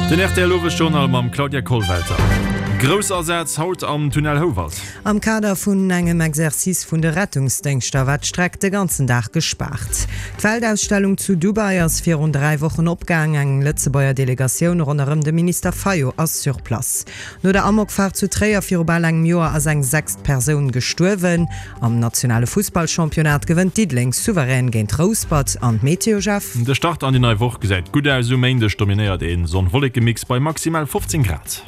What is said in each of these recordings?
Den rtl Owesjournal mam Claudia Kollwelter. Groussasaz haut am Tunnel Houwald. Am Kader vun engem Exercice vun de Rettungsdéngschter war d'Streck de ganzen Dag gespaart. D'Weltausstellung zu Dubai ass virun 3 Wochen opgaang. Eng Lëtzebuerger Delegatioun ronderëm de Minister Fayot ass sur place. No der Amokfaart zu Tréier viru bal engem Joer ass eng sechst Persoun gestuerwen. Am nationale Fussballchampionnat gewënnt Diddeleng souverän géint Rouspert. An d'Meteo, Jeff? De Start an déi nei Woch gesäit gutt aus. Um Méindeg dominéiert ee Sonn-Wolleke-Mix bei maximal 15 Grad.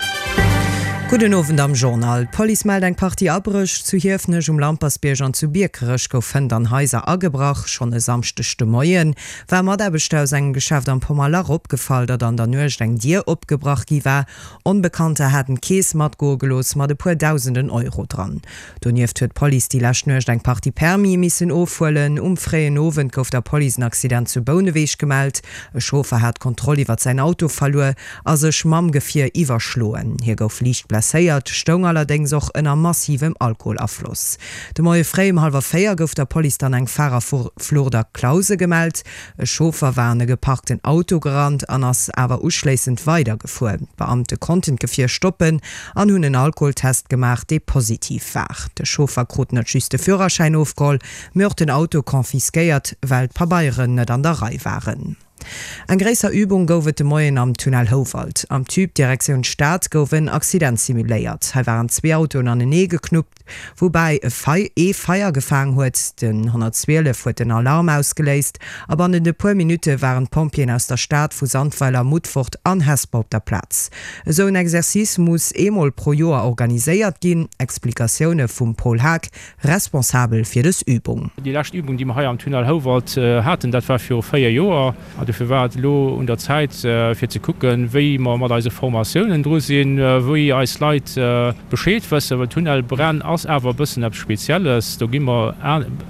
Gudden Owend am Journal. D'Police mellt eng Partie Abréch. Zu Hiefenech um Lampersbierg an zu Biekerech gouf hënt an Haiser agebrach. Schonn e Samschdeg de Moie war Mataarbechter aus engem Geschäft am Pommerlach opgefall, datt an der Nuecht eng Dier opgebrach gi war. Onbekannter haten d'Keess matgoe gelooss mat e puer dausenden Euro dran. Donieft huet d'Police déi lescht Nuecht eng Partie Permise missen ofhuelen. Um fréien Owend gouf der Police en Accident zu Bouneweg gemellt. E Chauffer hat d'Kontroll iwwert säin Auto verluer a sech mam Gefier iwwerschloen. Hie gouf liicht blesséiert, stoung allerdéngs och ënner massivem Alkoholafloss. De Moie fréi um hallwer 4 gouf der Police dann eng Farerflucht a Clause gemellt. E Chauffer war an e geparkten Auto gerannt an ass awer uschléissend weidergefuer. D'Beamte konnten d'Gefier stoppen an hunn en Alkoholtest gemaach, dee positiv war. De Chauffer krut net just de Führerschäin ofgeholl, mee och den Auto confisquéiert, well d'Pabeieren net an der Rei waren. Eng gréisser Übung gouf et de Moien am Tunnel Houwald. Am Tube Direktioun Stad gouf en Accident simuléiert. Hei waren zwee Autoen anenee geknuppt. Woubäi e Fei ee Feier gefaang huet. Den 112 huet den Alarm ausgeléist a bannent e puer Minutte waren d'Pompjeeën aus der Stad, vu Sandweiler, Mutfort an Hesper op der Plaz. Esou en Exercice muss eemol pro Joer organiséiert ginn. Explikatioune vum Paul Haag, Responsabel fir dës Übung. Déi lescht Übung, déi mer hei am Tunnel Houwald haten, dat war viru 4 Joer. An dofir war et elo un der Zäit, fir ze kucken, wéi mer mat eise Formatiounen dru sinn, wéi eis Leit Bescheed wëssen. Well Tunnelbränn ass awer e bëssen eppes Spezielles. Do gi mer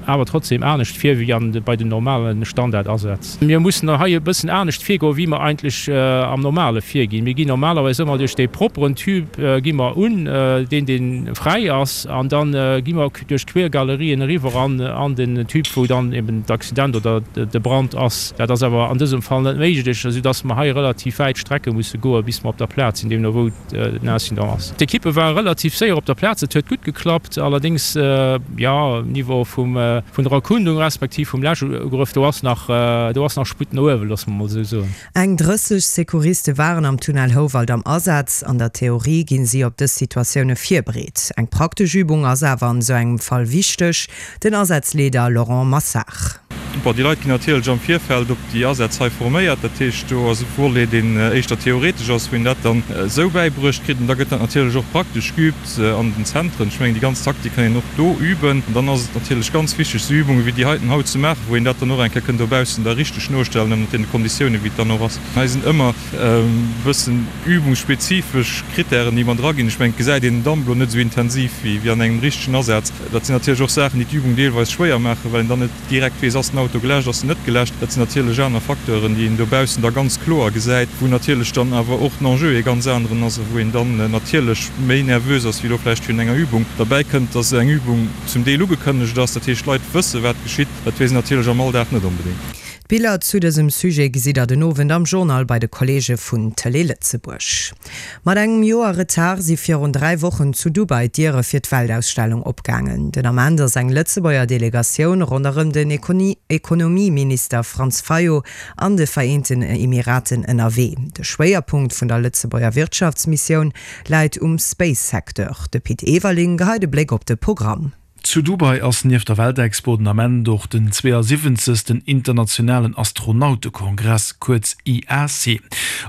awer trotzdem anescht vir wéi an bei den normale Standardasätz. Mir mussen hei e bëssen anescht virgoen, wéi mer eigentlech am Normale virginn. Mir ginn normalerweis ëmmer duerch dee propperen Tube gi mer un, deen, dee fräi ass, an da gi mer duerch d'Quergalerien eriwwer an an den Tube, wou dann eben d'Accident oder de Brand ass. Dat ass awer an dësem Fall net méiglech, esou dass mer hei relativ wäit Strecke musse goen, bis mer op der Plaz sinn, deemno wou den Incident ass. D'Ekippe ware relativ séier op der Plaz, et huet gutt geklappt. Allerdéngs, jo, um Niveau vum vun der Erkundung respektiv vum Läschugrëff, do ass nach do ass nach Sputt no uewen, loosse mer mol esou soen. Eng 30 Secouriste waren am Tunnel Houwald am Asaz. An der Theorie ginn si op dës Situatioune virbereet. Eng praktesch Übung ass awer an esou engem Fall wichteg. Den Asazleeder Laurent Massard. Bon, déi Leit ginn natierlech am Virfeld op déi Asätz hei forméiert. Dat heescht, do ass e Volet, deen éischter theoretesch ass, wou een dat dann esou bäibruecht kritt. An da gëtt dat natierlech och praktesch geübt an den Zentren. Ech mengen, déi ganz Taktik kann een och do üben. An dann ass et natierlech ganz wichteg, esou Übunge wéi déi heiten haut ze maachen, wou een dat dann och eng Kéier kënn dobaussen da richteg nostellen, ënnert deene Konditiounen, wéi et dann och ass. Hei sinn ëmmer e bëssen übungsspezifesch Krittären, déi mat eraginn. Ech mengen, et gesäit een den Damp elo net esou intensiv wéi an engem richtegen Asaz. Dat sinn natierlech och Saachen, déi d'Übung deelweis schwéier maachen, well een dann net direkt weess, ass den Auto geläscht, ass en net geläscht. Dat sinn natierlech aner Facteuren, déi een dobaussen da ganz kloer gesäit, wou natierlech dann awer och den Enjeu ee ganz aneren ass a wou een dann natierlech méi nervös ass wéi elo vläicht virun enger Übung. Derbäi kënnt, dass eng Übung zum Deel ugekënnegt ass, dat heescht d'Leit wësse wat geschitt. Dat weess een natierlech am Alldag net onbedéngt. D'Biller zu dësem Sujet gesitt der den Owend am Journal bei de Kolleege vun Tëlee Lëtzebuerg. Mat engem Joer Retard si virun 3 Wochen zu Dubai d'Diere fir d'Weltausstellung opgaangen. Den Ament ass eng Lëtzebuerger Delegatioun ronderëm den Ekonomieminister Franz Fayot an de Vereenten Emiraten ënnerwee. De Schwéierpunkt vun der Lëtzebuerger Wirtschaftsmissioun läit um Space-Secteur. De Pit Everling geheit e Bléck op de Programm. Zu Dubai ass nieft der Weltexpo den Ament och den 72. Internationalen Astronautekongress, kuerz IAC.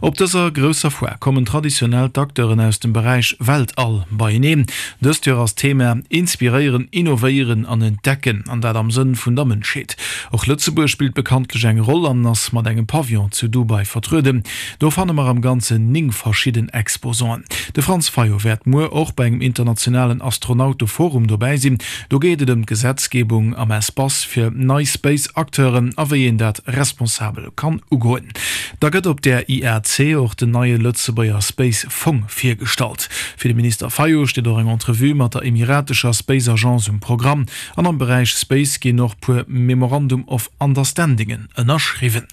Op dëser grousser Foire kommen traditionell d'Acteuren aus dem Beräich Weltall beieneen. Dëst Joer ass d'Thema Inspiréieren, innovéieren an entdecken, an dat am Sënn vun der Mënschheet. Och Lëtzebuerg spillt bekanntlech eng Roll an ass mat engem Pavillon zu Dubai vertrueden. Do fanne mer am Ganzen 9 verschidden Exposanten. De Franz Fayot wäert muer och bei engem internationalen Astronauteforum dobäi sinn. Do geet et ëm d'Gesetzgebung am Espace fir nei Space-Acteuren a wéi een dat responsabel kann ugoen. Da gëtt op där IAC och den neie Lëtzebuerger Space Fong virgestallt. Fir de Minister Fayot steet och eng Entrevue mat der emiratescher Space Agence um Programm. An am Beräich Space ginn och puer Memorandum of Understandingen ënnerschriwwen.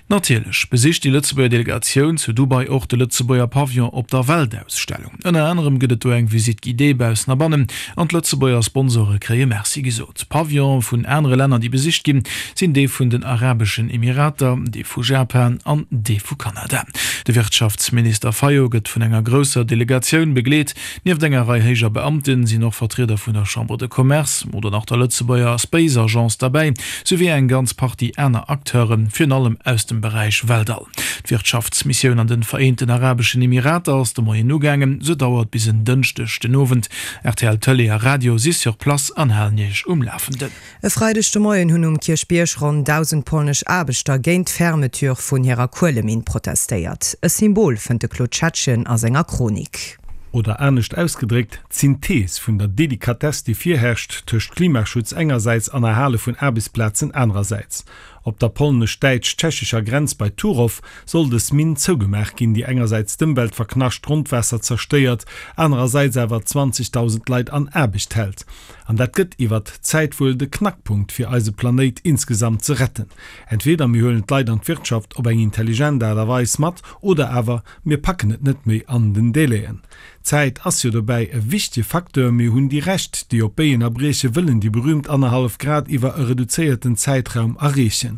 Natierlech besicht déi Lëtzebuerger Delegatioun zu Dubai och de Lëtzebuerger Pavillon op der Weltausstellung. Ënner anerem gëtt et do eng Visite guidée baussen a bannen an d'Lëtzebuerger Sponsore kréie Merci gesot. Pavillone vun anere Länner, déi besicht ginn, sinn dee vun den Arabeschen Emirater, dee vu Japan an dee vu Kanada. De Wirtschaftsminister Fayot gëtt vun enger grousser Delegatioun begleet. Nieft enger Rei héijer Beamten sinn och Vertrieder vun der Chambre de Commerce oder nach der Lëtzebuerger Space Agence derbäi, souwéi eng ganz Partie aner Acteuren, virun allem aus dem Beräich Weltall. D'Wirtschaftsmissioun an de Vereenten Arabeschen Emirater ass de Moien ugaangen. Se dauert bis en Dënschdeg den Owend. Rtl Tëlee a Radio si sur place an halen Iech um Lafenden. E Freideg de Moien hunn um Kierchbierg ronn 1.000 polnesch Aarbechter géint d'Fermeture vun hirer Kueleminn protestéiert. E Symbol, fënnt de Claude Schettgen a senger Chronik. Oder anescht ausgedréckt, d'Synthees vun der Delikatess, déi virherrscht tëscht Klimaschutz engersäits an Erhale vun Aarbechtsplazen anerersäits. Op der polnesch-däitsch-tschechescher Grenz bei Turow soll dës Minn zougemaach ginn, déi engersäits d'Ëmwelt verknascht, d'Grondwaasser zerstéiert, anerersäits awer 20.000 Leit an Aarbecht hält. An dat gëtt iwwert d'Zäit wuel de Knackpunkt fir eise Planéit insgesamt ze retten. Entweder mir huelen d'Leit an d'Wirtschaft op eng intelligent Aart a Weis mat, oder awer mir packen et net méi an den Délaiën. D'Zäit ass jo dobäi e wichtege Facteur. Mir hunn déi Recht, déi op Béien a Brieche wëllen déi berühmt annerhallef Grad iwwer e reduzéierten Zäitraum erreechen.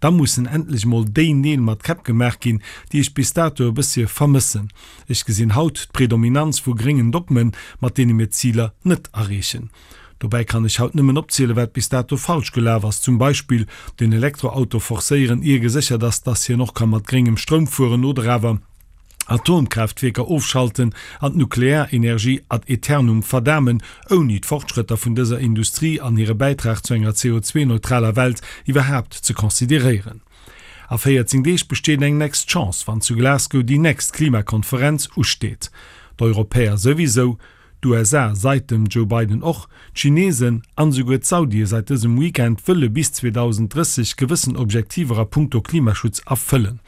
Da mussen endlech mol déi Neel mat Käpp gemaach ginn, déi ech bis dato e bëssche vermëssen. Ech gesinn haut d'Predominanz vu gréngen Dogmen, mat deene mir d'Ziler net erreechen. Dobäi kann ech haut nëmmen opzielen, wat bis dato falsch gelaf ass, zum Beispill den Elektroauto forcéieren, ier geséchert ass, dass hien och ka mat gréngem Stroum fueren, oder awer Atomkraaftwierker ofschalten an d'Nuklearenergie ad aeternum verdamen, ouni d'Fortschrëtter vun dëser Industrie an hire Bäitrag zu enger CO2-neutraler Welt iwwerhaapt ze consideréieren. A 14 Deeg besteet eng next Chance, wann zu Glasgow déi next Klimakonferenz usteet. D'Europäer souwisou, d'USA seit dem Joe Biden och, d'Chinesen an esouguer d'Saudie seit dësem Weekend wëlle bis 2030 gewëssen Objektiver a punkto Klimaschutz erfëllen.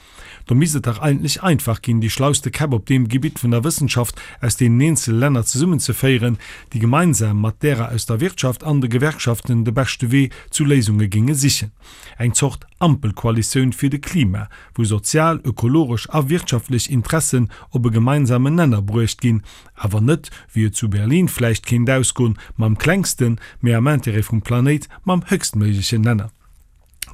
Do misst et dach eigentlech einfach ginn, déi schlauste Käpp op deem Gebitt vun der Wëssenschaft aus deenen eenzele Länner zesummenzeféieren, déi gemeinsam mat därer aus der Wirtschaft an de Gewerkschaften de beschte Wee zu Léisunge géinge sichen. Eng Zort Ampelkoalitioun fir de Klima, wou sozial, ökologesch a wirtschaftlech Interessen op e gemeinsamen Nenner bruecht ginn, awer net, wéi et zu Berlin vläicht kéint ausgoen, mam klengsten, mee am Intérêt vum Planéit mam höchstméiglechen Nenner.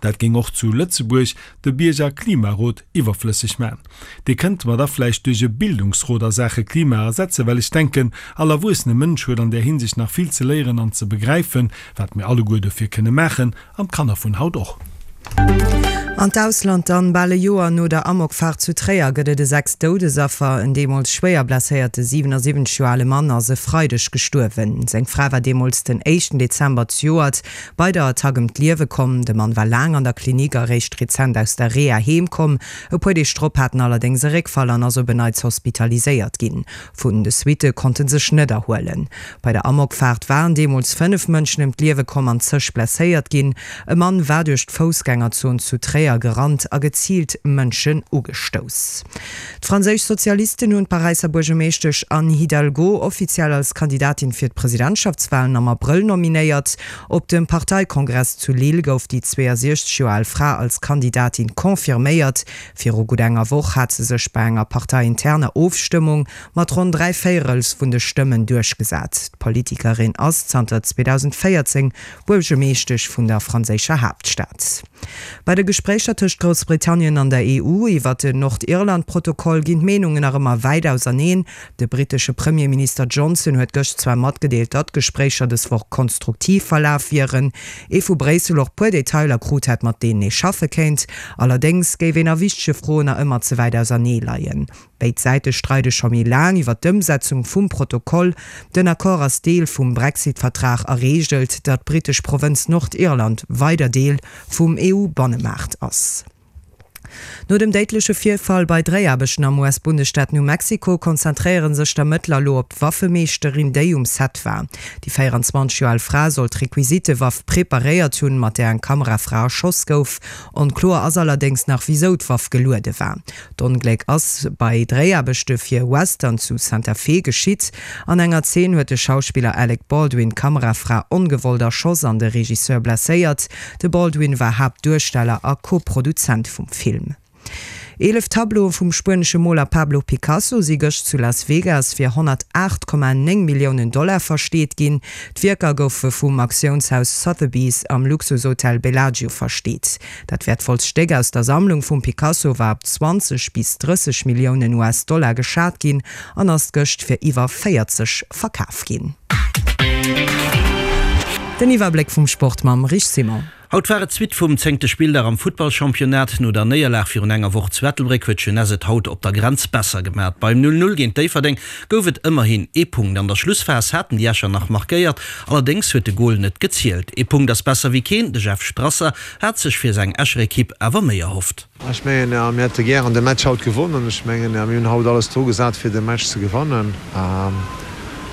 Dat géing och zu Lëtzebuerg de Bierger-Klimarot iwwerflësseg man. Dee kënnte mer da vläicht duerch e Bildungsrot a Saache Klima ersetzen, well ech denken, all erwuessene Mënsch huet an där Hinsicht nach vill ze léieren an ze begräifen, wat mir alleguer dofir kënne maachen, An d'Kanner vun haut och. An d'Ausland dann, Bal e Joer no der Amokfaart zu Tréier gëtt et e 6 Doudesaffer. En deemools schwéier blesséierte 77 Joer ale Mann ass e Freideg gestuerwen. Seng Fra war deemools den éischten Dezember zejoert bei der Attack ëm d'Liewe komm. De Mann war laang an der Klinik a réischt rezent aus der Reha heem komm. E puer Deeg drop hat en allerdéngs e Réckfall an ass op en Neits hospitaliséiert ginn. Vun de Suitte konnt en sech net erhuelen. Bei der Amokfaart waren deemools 5 Mënschen ëm d'Liewe komm an zeg blesséiert ginn. E Mann war duerch d'Foussgängerzon zu Tréier gerannt a geziilt Mënschen ugestouss. D'franséisch Sozialisten hunn d'Paräisser Buergermeeschtesch Anne Hidalgo offiziell als Kandidatin fir d'Presidentschaftswalen am Abrëll nominéiert. Op dem Parteikongress zu Lille gouf déi 62 Joer al Fra als Kandidatin confirméiert. Viru gutt enger Woch hat se sech bei enger parteiinterner Ofstëmmung mat ronn 3 Véierels vun de Stëmmen duerchgesat. D'Politikerin ass zanter 2014 Buergermeeschtesch vun der franséischer Haaptstad. Bei de Gespréicher tëscht Groussbritannien an der EU iwwer den Nordirland-Protokoll ginn d'Meenungen nach ëmmer wäit auserneen. De brittesche Premierminister Johnson huet gëscht zwar matgedeelt, datt d'Gespréicher dës Woch konstruktiv verlaf wieren, ee vu Bréissel och puer Detailer krut hätt, mat deenen ee schaffe kéint. Allerdéngs géif een a wichtege Froen nach ëmmer ze wäit ausernee leien. Béid Säite streide scho méi laang iwwer d'Ëmsetzung vum Protokoll. Den Accord ass Deel vum Brexit-Vertrag a reegelt, datt d'brittesch Provënz Nordirland weider Deel vum EU-Bannemaart ass. No dem déidleche Virfall bei Dréiaarbechten am US-Bundesstaat New Mexico konzentréiere sech d'Ermëttler elo op d'Waffemeeschterin, déi um Set war. Déi 24 Joer al Fra soll d'Requisitewaff preparéiert hunn, mat där eng Kamerafra erschoss gouf. Onkloer ass allerdéngs nach, wisou d'Waff geluede war. D'Ongléck ass bei Dréiaarbechte fir e Western zu Santa Fe geschitt. An enger Zeen huet de Schauspiller Alec Baldwin d'Kamerafra ongewollt erschoss an de Regisseur blesséiert. De Baldwin war Haaptduersteller a Co-Produzent vum Film. 11 Tableaue vum spuenesche Moler Pablo Picasso si gëscht zu Las Vegas fir 108,9 Milliounen Dollar versteet ginn. D'Wierker goufe vum Auktiounshaus Sotheby's am Luxushotel Bellagio versteet. Dat wäertvollst Stéck aus der Sammlung vum Picasso war op 20 bis 30 Milliounen US-Dollar geschat ginn an ass gëscht fir iwwer 40 verkaf ginn. Den Iwwerbléck vum Sport mam Rich Simon. Haut war et d'Suite vum zéngte Spilldag am Futtballchampionnat. No der Néierlag virun enger Woch zu Ettelbréck huet d'Jeunesse et haut op der Grenz besser gemat. Beim 0, 0 géint Déifferdeng gouf et ëmmerhin ee Punkt. An der Schlussphas haten déi Escher nach markéiert, allerdéngs huet de Gol net gezielt. Ee Punkt ass besser wéi keen, de Jeff Strasser hat sech fir seng Escher Ekipp awer méi erhofft. Ech mengen, mir hätte gären de Match haut gewonnen. Ech mengen, mir hunn haut alles dru gesat, fir de Match ze gewannen.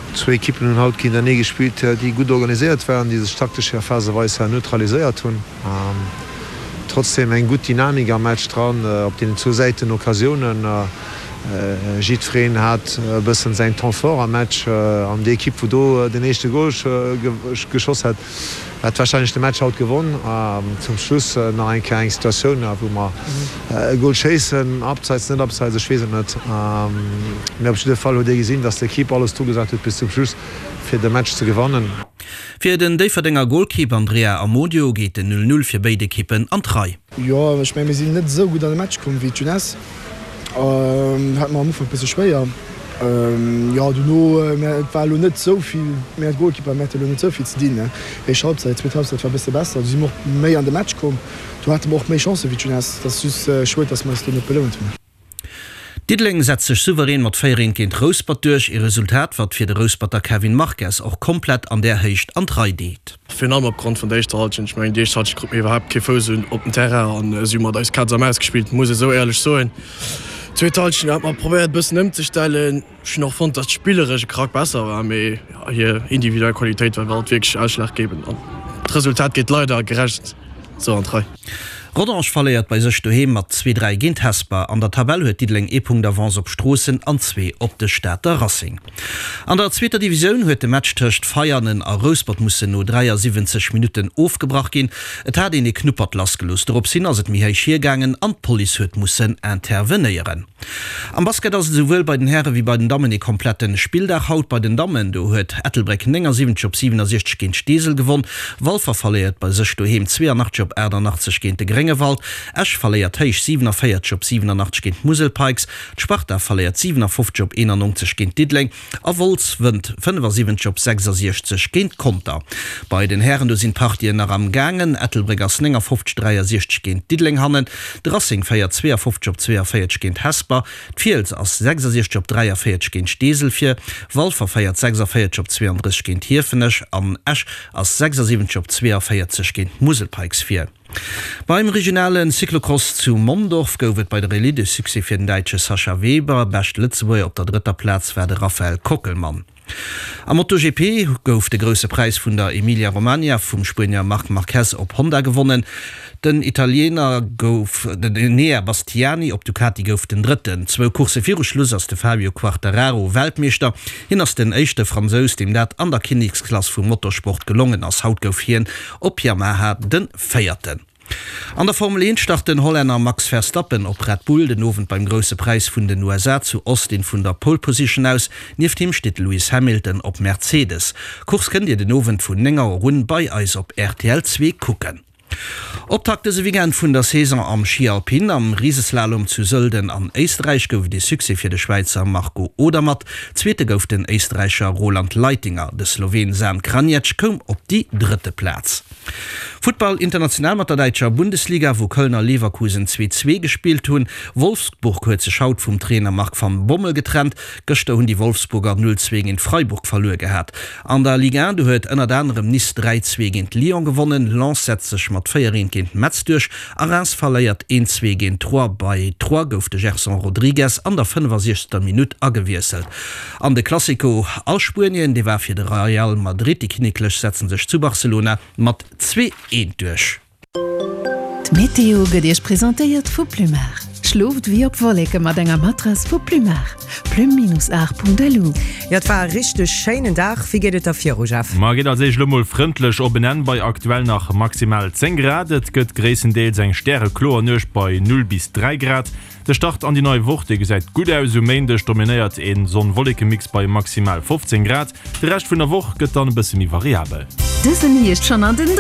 Zwou Ekippen hunn haut géintenee gespillt, déi gutt organiséiert waren, déi sech taktesch her phaseweis her neutraliséiert hunn. Trotzdem eng gutt Dynamik am Match dran, op deenen zwou Säiten Occasiounen. Jiddwereen hat e bëssen säin Temps fort am Match an déi Ekipp, wou do den éischte Gol geschoss hat, Hätt wahrscheinlech de Match haut gewonn. Zum Schluss nach eng Kéier eng Situatioun wou mer e Goal schéissen, abseits, net abseits, ech weess et net. Mee op jidde Fall huet ee gesinn, dass d'Equipe alles dru gesat huet bis zum Schluss fir de Match ze gewannen. Fir den Déifferdenger Golkipp Andrea Amodio geet den 0, 0 fir béid Ekippen an d'Rei. Jo, ech mengen mir sinn net esou gutt an de Match komm wéi d'Jeunesse. Hate mer am Ufank bësse schwéier. Jo, dono, mä et war elo net esou vill, mä d'Goalkeeper, mir hate elo net esou vill ze dinn. Éischt Halbzeit, zweet Halbzeit war e bësse besser, do si mer och méi an de Match komm. Do hate mer och méi Chancë wéi d'Jeunesse. Et ass just schued, datt mer eis do net belount hunn. Diddeleng setzt sech souverän mat 4 Eent géint Rouspert duerch, ee Resultat wat fir de Rousperter Kevin Marques och komplett an där Héicht an d'Rei deet. Virun allem opgrond vun der éischter Halschent. Ech mengen déi éischt Halschent krute mir iwwerhaapt kee Fouss un op den Terrain an si hu mat eis Katz a Maus gespillt, muss ee sou éierlech soen. Zweet Halschent hate mer probéiert e bëssen ëmzestellen. Ech hunn och fonnt, datt d'spilleresch e Krack besser war, mee hir individuell Qualitéit war alt wierklech ausschlaggebend an d'Resultat geet leider gerecht sou an d'Rei. Rodange verléiert bei sech doheem mat 2, 3 géint Hesper. An der Tabell huet Diddeleng ee Punkt Avance op Stroossen an zwee op de Stater Racing. An der zweeter Divisioun huet de Match tëscht Veianen a Rouspert mussen no 73 Minutten ofgebrach ginn. Et hat een ee Knuppert lassgelooss. Dorops hin ass et méi héich hiergaangen an d'Police huet mussen intervenéieren. Am Basket ass et esouwuel bei den Häre wéi bei den Dammen ee kompletten Spilldag haut. Bei den Dammen, do huet Ettelbréck 79 op 67 géint Steesel gewonn. Walfer verléiert bei sech doheem 82 op 88 géint de Gréngewald. Esch verléiert héich 47 op 87 géint d'Musel Pikes. D'Sparta verléiert 57 op 91 géint Diddeleng. A Wolz wënnt 75 op 66 géint Conter. Bei den Hären, do sinn d'Partien nach am gaangen. Ettelbréck ass 59, 63 géint Diddeleng hannen. De Racing féiert 52 op 42 géint Hesper. D'Fiels ass 66 op 43 géint Steesel vir. Walfer féiert 46 op 32 géint Hiefenech an Esch ass 76 op 42 géint d'Musel Pikes vir. Beim regionale Cyclocross zu Mondorf gouf et bei der Elite e Succès fir den Däitsche Sascha Weber. Bescht Lëtzebuerger op der drëtter Plaz war de Raphael Kockelmann. Am MotoGP gouf de Grousse Präis vun der Emilia-Romagna vum Spuenier Marc Marquez op Honda gewonnen. Den Italiener gouf den Enea Bastiani op Ducati gouf den Drëtten. Zwou Coursse viru Schluss ass de Fabio Quartararo Weltmeeschter. Hien ass den éischte Fransous, deem dat an der Kinneksklass vum Motorsport gelongen ass. Haut gouf hien Op Yamaha de Véierten. An der Formel 1 start den Hollänner Max Verstappen op Red Bull den Owend beim Grousse Präis vun den USA zu Austin vun der Pole Position aus. Nieft him steet de Lewis Hamilton op Mercedes. D'Course kënnt Dir den Owend vun 9 Auer un bei eis op rtl 2 kucken. Optakt dëse Weekend vun der Saison am Schi Alpin. Am Riseslalom zu Sölden an Éisterräich gouf et ee Succès fir de Schwäizer Marco Odermatt. Zweete gouf den Éisterräicher Roland Leitinger, de Sloween Zan Kranjec koum op déi drëtte Plaz. Futtball international mat der däitscher Bundesliga, wou Köln a Leverkusen 2, 2 gespillt hunn. Wolfsburg huet sech haut vum Trainer Marc van Bommel getrennt. Gëschter hunn déi Wolfsburger 0, 2 géint Freiburg verluer gehat. An der Ligue 1, do huet ënnert anerem Nice 3, 2 géint Lyon gewonnen, Lens setzt sech mat 4, 1 géint Metz duerch a Reims verléiert 1, 2 géint Troyes. Bei Troyes gouf de Gerson Rodrigues an der 65. Minutt agewiesselt. An de Classico a Spuenien, dee war fir de Real Madrid. Déi Kinneklech setzen sech zu Barcelona mat 2, 1 duerch. D'Meteo gëtt Iech presentéiert vu Plumar. Schlooft ewéi op Wolleke mat enger Matrass vu Plum'Art. Plume-art.lu. Jo, et war e richteg schéinen Dag. Wéi geet et da viru, Jeff? Ma geet als éischt elo mol frëndlech op en Enn bei aktuell nach maximal 10 Grad. Et gëtt gréisstendeels eng stärekloer Nuecht bei 0 bis 3 Grad. De Start an déi nei Woch, dee gesäit gutt aus. Um Méindeg dominéiert een Sonn-Wolleke-Mix bei maximal 15 Grad. De Rescht vun der Woch gëtt dann e bësse méi variabel. Dësen Hierscht schonn an den.